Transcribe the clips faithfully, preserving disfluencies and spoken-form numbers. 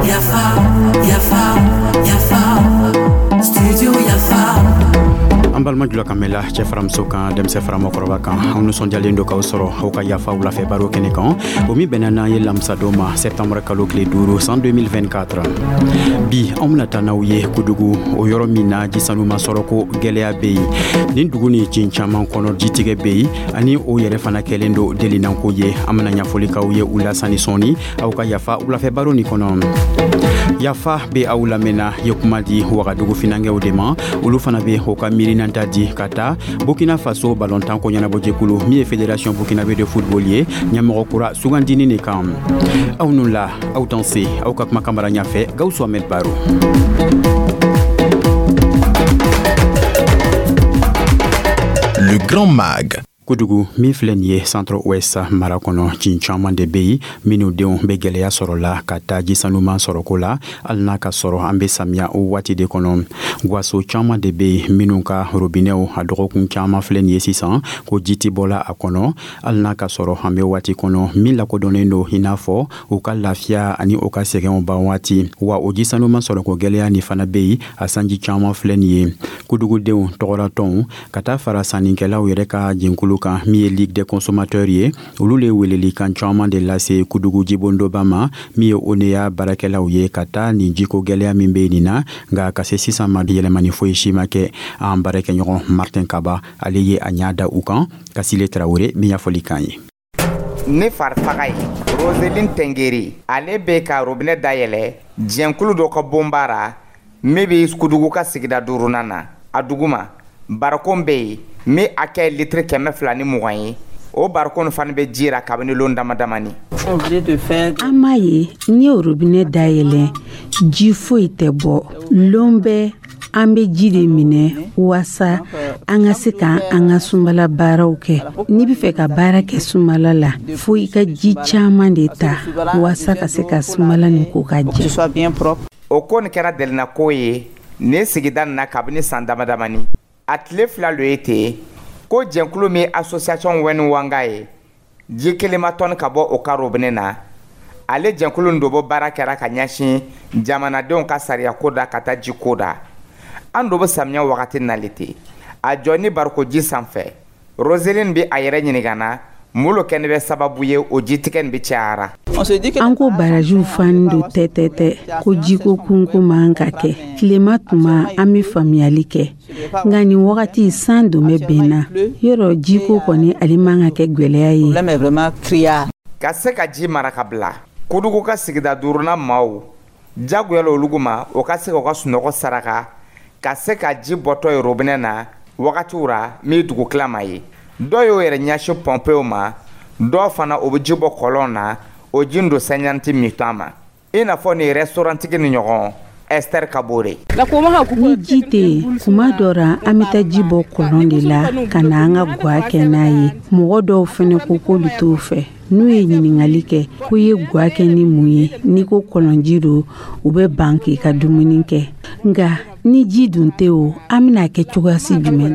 Yafa, yafa, yafa, studio Yafa. An balima jula kan mɛla, cɛ faramuso kan, denmisɛn fara mɔgɔkɔrɔba kan, anw nusɔndiyalen do k'aw sɔrɔ aw ka Yafa wulafɛ baro kɛnɛ kan, o min bɛnna n'an ye lamisadon ma, sɛptanbr kalo tile duuru, san deux mille vingt-quatre. Bi, anw bena taa n'aw ye Kudugu, o yɔrɔ min na jisanuma sɔrɔ ko gwɛlɛya be yen. Nin dugu ni cin caaman kɔnɔ, jitigɛ be yen, ani o yɛrɛ fana kɛlen do delinanko ye. An bena ɲafɔli k'aw ye u la sani sɔɔni aw ka Yafa wulafɛ baro nin kɔnɔ. Yafa be aw lamɛnna ye kuma di Wagadugu finankɛw de ma. Olu fana be o ka miirinanta di ka taa Burkina Faso balontan ko ɲɛnabɔjɛkulu min ye Fédération burkinabé de football ye, ɲɛmɔgɔ kura sugandini ne kan. Aw nu la, aw dan se aw ka kumakan mara ɲafɛ, Gawusu Ahmed Baro. Le Grand Mag. Kojugu min filɛ nin ye, Centre Ouest mara kɔnɔ, cin caaman de be yen minnu denw be gwɛlɛya sɔrɔ la ka taa jisanuman sɔrɔko la, hali n'a ka sɔrɔ an be samiya o waati de kɔnɔ. Gwaso caaman de be yen minnu ka robinɛw, a dɔgɔkun caaman filɛ nin ye sisan ko ji tɛ bɔla a kɔnɔ, hali n'a ka sɔrɔ an be waati kɔnɔ min lakodɔnnen do i n'a fɔ u ka lafiya ani u ka sɛgɛnw ban waati. Wa o jisanuman sɔrɔko gwɛlɛya nin fana be yen a sanji caaman filɛ nin ye. Kudugudenw tɔgɔratɔnw ka taa fara sannikɛlaw yɛrɛ ka jɛnkulu kan min ye Ligue des consommateurs ye, olu le welelikan caaman de lase Kudugu jibondoba ma min ye ONEA baarakɛlaw ye, ka taa nin jiko gwɛlɛya min be nin na. Nka ka se sisan ma, yɛlɛmani foyi si ma kɛ. An baarakɛɲɔgɔn Martin Kaba, ale ye a ɲa da u kan. Kasile Tarawure min ɲɛfɔli kan ye. Ne farifaga ye Roseline Tengeri, ale bɛ ka robinet dayɛlɛ jɛnkulu dɔ ka bonba min bɛ Kudugu ka sigida duurunan na. A duguma, barikon bɛ yen min hakɛ ye litiri kɛmɛ fila ni mugan ye. O barikon fana bɛ ji ra kabini lon dama damani. An m'a ye, n ye robinet dayɛlɛ, ji foyi tɛ bɔ. Lon bɛɛ, an bɛ ji de minɛ waasa an ka se ka an ka sumala baaraw kɛ. N'i bɛ fɛ ka baara kɛ sumala la, fo i ka ji caman de ta waasa ka se ka sumala nin ko ka jɛ. O ko nin kɛra delinako ye nin sigida nin na kabini san dama damani. A tile fila lo ye ten ko jɛnkulu min association Wɛni Wanga ye, ji kelema tɔni ka bɔ o ka robinet na. Ale jɛnkulu nin dɔ bɔ baara kɛra ka ɲɛsin jamanadenw ka sariya ko da ka taa ji ko da. An do bɛ samiya wagati nali ten, a jɔ ni bariko ji sanfɛ, Roseline bɛ a yɛrɛ ɲininka na mun lo kɛni bɛ sababu ye o jitigɛ nin bɛ cayara. An ko barajiw fani don tɛ tɛ tɛ, ko jiko kunko man ka kɛ tilema tuma, an bɛ faamuyali kɛ. Nka nin wagati, san don bɛ bɛn na yɔrɔ, jiko kɔni ale man ka kɛ gwɛlɛya ye. Ka se ka ji mara ka bila Kudugu ka sigida duurunan maaw jagoya la olugu ma, o ka se k'u ka sunɔgɔ saraka ka se ka ji bɔtɔ ye robinet na wagatiw ra min dugu tilama ye. Dɔw y'o yɛrɛ ɲɛsin pɔnpew ma, dɔw fana o bɛ ji bɔ kɔlɔn na, o ji don sɛɲanti min ma, i n'a fɔ nin restaurantigi ni ɲɔgɔn Esther Kabore. Ni ji tɛ yen, kuma dɔ ra, an bɛ taa ji bɔ kɔlɔn de la ka na an ka gwa kɛ n'a ye. Mɔgɔ dɔw fɛnɛ ko k'olu t'o fɛ. N'u ye ɲininkali kɛ ko i ye gwa kɛ ni mun ye, n'i ko kɔlɔnji don, u bɛ ban k'i ka dumuni kɛ. Nka ni ji dun tɛ o, an bɛna kɛ cogoyasi jumɛn?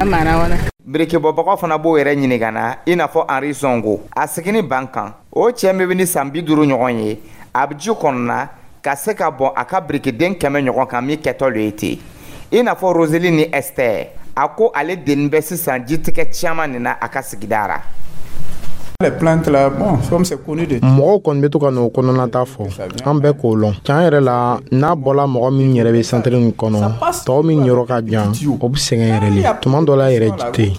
Birikibɔbagaw fana b'o yɛrɛ ɲininka na, i n'a fɔ Henri Zongo a sigini ban kan. O cɛ min bɛ ni san bi duuru ɲɔgɔn ye, a bɛ ji kɔnɔna ka se ka bɔn a ka birikiden kɛmɛ ɲɔgɔn kan min kɛtɔ lo ye ten, i n'a fɔ Roseline ni Esther. A ko ale denni bɛ sisan jitigɛ caman nin na a ka sigida ra. Mɔgɔw kɔni bɛ to ka n'o kɔnɔnata fɔ, an bɛɛ k'o lɔn. Tiɲɛ yɛrɛ la, n'a bɔla mɔgɔ min yɛrɛ bɛ santiri nin kɔnɔ, tɔw min yɔrɔ ka jan, o bɛ sɛgɛn yɛrɛ le. Tuma dɔ la yɛrɛ, ji tɛ yen.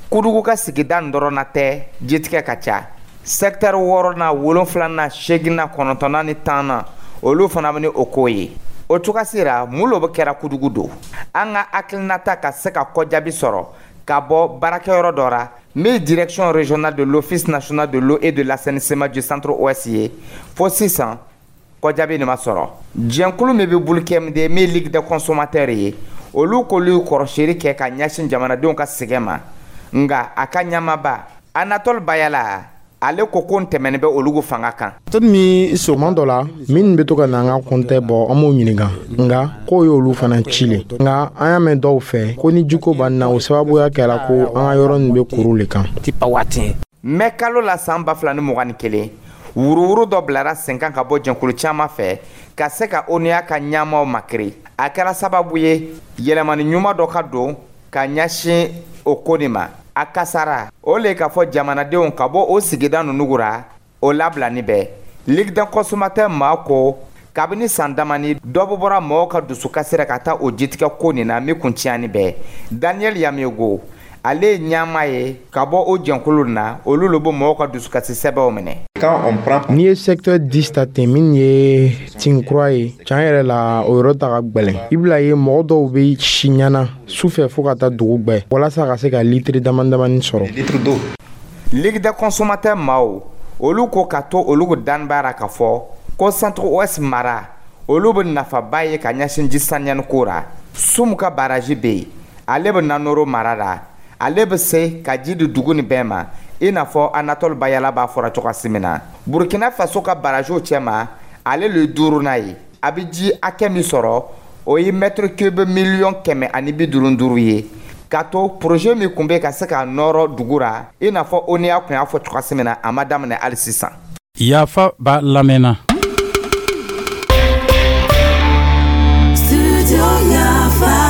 Kudugu ka sigida nin dɔrɔn na tɛ jitigɛ ka ca. Secteur wɔɔrɔnan, wolonfilanan, seeginna, kɔnɔntɔnnan ni tannan, olu fana bɛ ni o ko ye. O cogoya ra, mun lo bɛ kɛra Kudugu don? An ka hakilinata ka se ka kɔjaabi sɔrɔ ka bɔ baarakɛyɔrɔ dɔ ra min Direction régionale de l'Office national de l'eau et de l'assainissement du Centre Ouest ye, fo sisan kɔjaabi nin ma sɔrɔ. Jɛnkulu min bɛ Bulukɛmuden min Ligue des consommateurs ye, olu k'olu kɔrɔsili kɛ ka ɲɛsin jamanadenw ka sɛgɛn ma. Nka a ka ɲɛmaaba Anatole Bayala, Ale ko ko n tɛmɛni bɛ olugu fanga kan. Tuma dɔ la, minnu bɛ to ka na an ka kɔntɛ bɔ, an b'o ɲininka, nka k'o y'olu fana ci le. Nka an y'a mɛn dɔw fɛ ko ni jiko b'an na, o sababuya kɛra ko an ka yɔrɔ nin bɛ kuru le kan. Mɛ kalo la san ba fila ni mugan ni kelen, wuruwuru dɔ bilara sen kan ka bɔ jɛnkulu caman fɛ ka se ka O N U A ka ɲamaw makiri. A kɛra sababu ye yɛlɛmani ɲuman dɔ ka don ka ɲɛsin o ko nin ma. A kasara o le k'a fɔ jamanadenw ka bɔ o sigida ninnu ra, o labilani bɛɛ. Ligue des consommateurs maa ko kabini san damani, dɔ bɛ bɔra mɔgɔw ka dusukasi ra ka taa o jitigɛ ko nin na min kun tiɲɛni bɛɛ. Daniel Yamego, ale ye ɲama ye ka bɔ o jɛnkulu na, olu le bɛ mɔgɔw ka dusukasi sɛbɛnw minɛ. N'i ye secteur dix ta ten, min ye tin kura ye, tiɲɛ yɛrɛ la, o yɔrɔ ta ka gwɛlɛn. I bila ye, mɔgɔ dɔw bɛ si ɲana su fɛ fo ka taa dugu gwɛ walasa ka se ka litiri dama damani sɔrɔ. Ligue des consommateurs maaw, olu ko ka to olu danbaara ka fɔ ko Centre Ouest mara, olu bɛ nafaba ye ka ɲɛsin ji saniyani ko ra. Sumu ka baraji bɛ yen, ale bɛ Nanoro mara la. Ale bɛ se ka ji di dugu nin bɛɛ ma, i n'a fɔ Anatole Bayala b'a fɔra cogoya min na. Burkina Faso ka barajiw cɛma, ale le duurunan ye. A bɛ ji hakɛ min sɔrɔ, o ye mètre cube miliyɔn kɛmɛ ani bi duuru duuru ye. Ka to projet min kun bɛ ka se ka nɔrɔ dugu ra, i n'a fɔ O N U A kun y'a fɔ cogoya min na, a ma daminɛ hali sisan. Yafa b'a lamɛnna. Studio Yafa.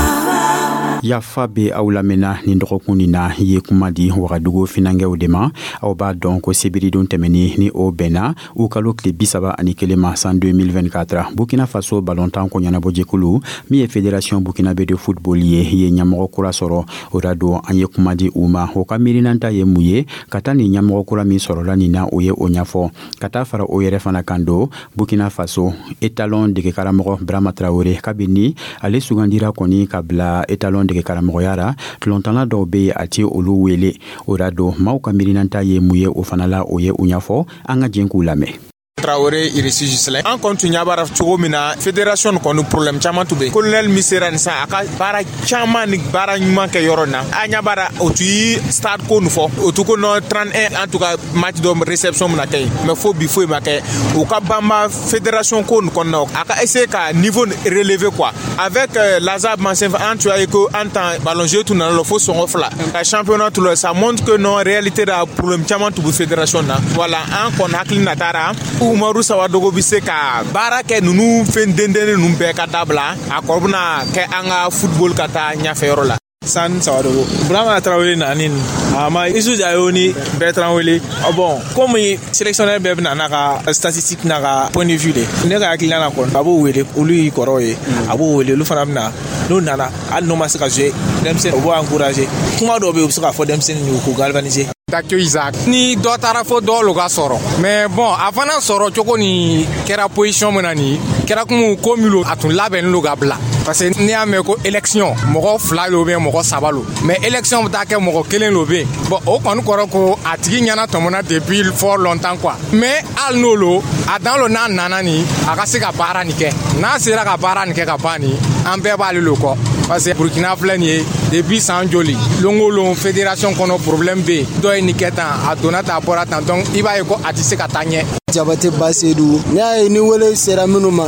Yafa bɛ aw lamɛnna. Nin dɔgɔkun nin na, ye kuma di Wagadugu finankɛw de ma. Aw b'a dɔn ko sebiridon tɛmɛni ni o bɛnna u kalo tile bi saba ani kelen ma san deux mille vingt-quatre, Burkina Faso balontan ko ɲɛnabɔjɛkulu min ye Fédération burkinabé de football ye, ye ɲɛmɔgɔ kura sɔrɔ. O da don an ye kuma di u ma, o ka miirinanta ye mun ye ka taa nin ɲɛmɔgɔ kura min sɔrɔla nin na, o ye o ɲɛfɔ. Ka taa fara o yɛrɛ fana kan don, Burkina Faso étalon dege karamɔgɔ Brama Traoré, kabini ale sugandira kɔni ka bila étalon dege karamɔgɔya ra, tulontanna dɔw be a ti olu wele. O da don maaw ka miirinanta ye mun ye o fana la, o ye u ɲɛfɔ. An ka jɛn k'u lamɛn. Traoré Irisi Gislain, an kɔni tun ɲɛ b'a cogo min na, fédération kɔni problème caman tun bɛ. Colonel min sera nin sisan, a ka baara caman ni baara ɲuman kɛ yɔrɔ na, an ɲɛ b'a o tun ye stade ko nin fɔ, o tun ko non, trente et un en tout cas match dɔ réception bɛna kɛ yen, mais fo bi foyi ma kɛ. U ka banba fédération ko nin kɔnɔna, a ka essayer ka niveau relever quoi avec euh, Lazare Mansef. An tun y'a ye ko an tan ballon jeu tun nana lɔ fo sɔngɔ fila ka championnat tun lɔ, ça montre que non, réalité la, problème caman tun bɛ fédération na. Voilà, an kɔni hakili natara Umaru Sawadogo bɛ se ka baara kɛ ninnu fɛn dendennin ninnu bɛɛ ka dabila, a kɔrɔ bɛna kɛ an ka football ka taa ɲɛfɛ yɔrɔ la. San Sawadogo, Burama Traoré nani a ma Isu Dayo ni Bertrand wele. Bon, komi sélectionneur bɛɛ bɛna n'a ka statistique n'a ka point de vue de, ne ka hakilina na kɔni, a b'o wele, olu y'i kɔrɔw ye, a b'o wele, olu fana bɛna n'u nana, hali n'u ma se ka jouer, denmisɛnnin u b'o encourager, kuma dɔw bɛ yen u bɛ se k'a fɔ denmisɛnnin ye k'u galvaniser. Dakyo Isaac ni dɔ taara fo dɔw lo ka sɔrɔ, mais bon, a fana sɔrɔ cogo ni kɛra position min na, nin kɛra komi ko min lo, a tun labɛnnen lo ka bila, parce que n'i y'a mɛn ko élection, mɔgɔ fila lo bɛ, mɔgɔ saba lo, mais élection bɛ taa kɛ mɔgɔ kelen lo bɛ yen. Bon, o kɔni kɔrɔ ko a tigi ɲɛna tɔmɔna depuis fort longtemps quoi. Mais hali n'o lo, a dan lo n'a nana nin, a ka se ka baara nin kɛ. N'a sera ka baara nin kɛ ka ban nin, an bɛɛ b'ale lo kɔ, parce que Burkina filɛ nin ye depuis san joli, lon o lon fédération kɔnɔ problème bɛ yen, dɔ ye nin kɛ tan, a donna tan, a bɔra tan, donc i b'a ye ko a tɛ se ka taa ɲɛ. Jabate Basedu, n'i y'a ye ni wele sera minnu ma,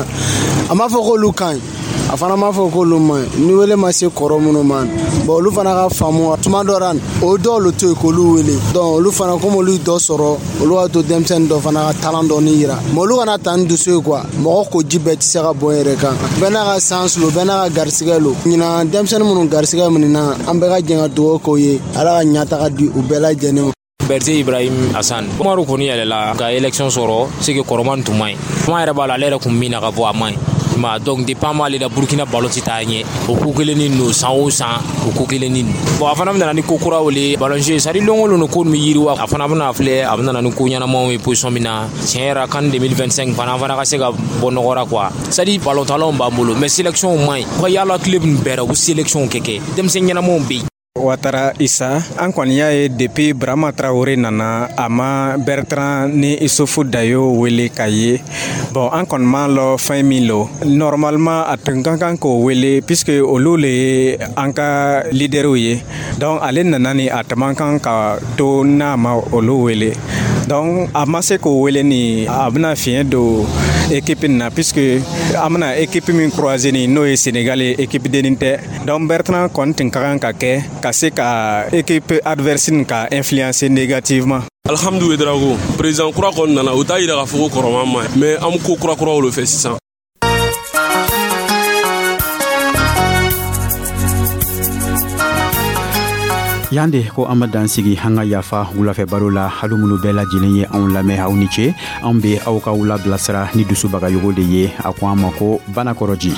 a m'a fɔ k'olu ka ɲi, a fana m'a fɔ k'olu ma ɲi. Ni wele ma se kɔrɔ minnu ma, bon, olu fana ka faamu tuma dɔ la, o dɔw le to yen k'olu wele. Donc olu fana, komi olu ye dɔ sɔrɔ, olu b'a to denmisɛnnin dɔ fana ka talent dɔɔni yira, mais olu kana ta ni dusu ye quoi. Mɔgɔ ko ji bɛɛ tɛ se ka bɔn yɛrɛ kan, bɛɛ n'a ka chance lo, bɛɛ n'a ka garisigɛ lo. Ɲinan denmisɛnnin minnu garisigɛ minɛ, an bɛɛ ka jɛ ka dugawu k'o ye, Ala ka ɲɛtaga di u bɛɛ lajɛlen ma. Berté Ibrahim Hassan, Umaru kɔni yɛlɛla ka élection sɔrɔ, c'est que kɔrɔman tun man ɲi. Kuma yɛrɛ b'a la, ale yɛrɛ kun min na ka bɔ, a man ɲi ma. Donc depuis an b'ale la, Burukina ballon ti taa ɲɛ. O ko kelennin don, san o san o ko kelennin don. Bon, a fana bɛ nana ni ko kuraw le ballon jeu, c'est à dire lon o lon ko nin bɛ yiriwa. A fana bɛna filɛ, a bɛ nana ni ko ɲɛnamaw ye position min na. Tiɲɛ yɛrɛ, CAN deux mille vingt-cinq fana, an fana ka se ka bɔ nɔgɔ la quoi. C'est à dire ballon talaw b'an bolo, mais sélection man ɲi. U ka yala club nin bɛɛ la, u bɛ sélection kɛ kɛ denmisɛnnin ɲɛnamaw bɛ yen. Watara Isa, an kɔni y'a ye depuis Brama Traoré nana, a ma Bertrand ni Isufu Dayo wele ka ye. Bon, an kɔni m'a lɔ fɛn min lo, normalement a tun ka kan k'o wele puisque olu le ye an ka leaderw ye. Donc ale nana ni a tun man kan ka to n'a ma olu wele. Donc a ma se k'o wele nin, a bɛna fiɲɛ don équipe nin na, puisque an bɛna équipe min croiser nin, n'o ye Sénégal ye, équipe dennin tɛ. Donc Bertrand kɔni tun ka kan ka kɛ ka se ka équipe adverse nin ka influencer négativement. Alhamdu Ouédraogo, président kura kɔni nana, o t'a yira k'a fɔ ko kɔrɔman ma ɲi, mais an be ko kurakuraw le fɛ sisan. Yan de ko an ma dan sigi an ka Yafa wulafɛ baro la. Hali minnu bɛɛ lajɛlen ye anw lamɛn, aw ni ce. An be aw ka wula bilasira ni dusubagayogo de ye. A ko an ma ko Banakɔrɔji.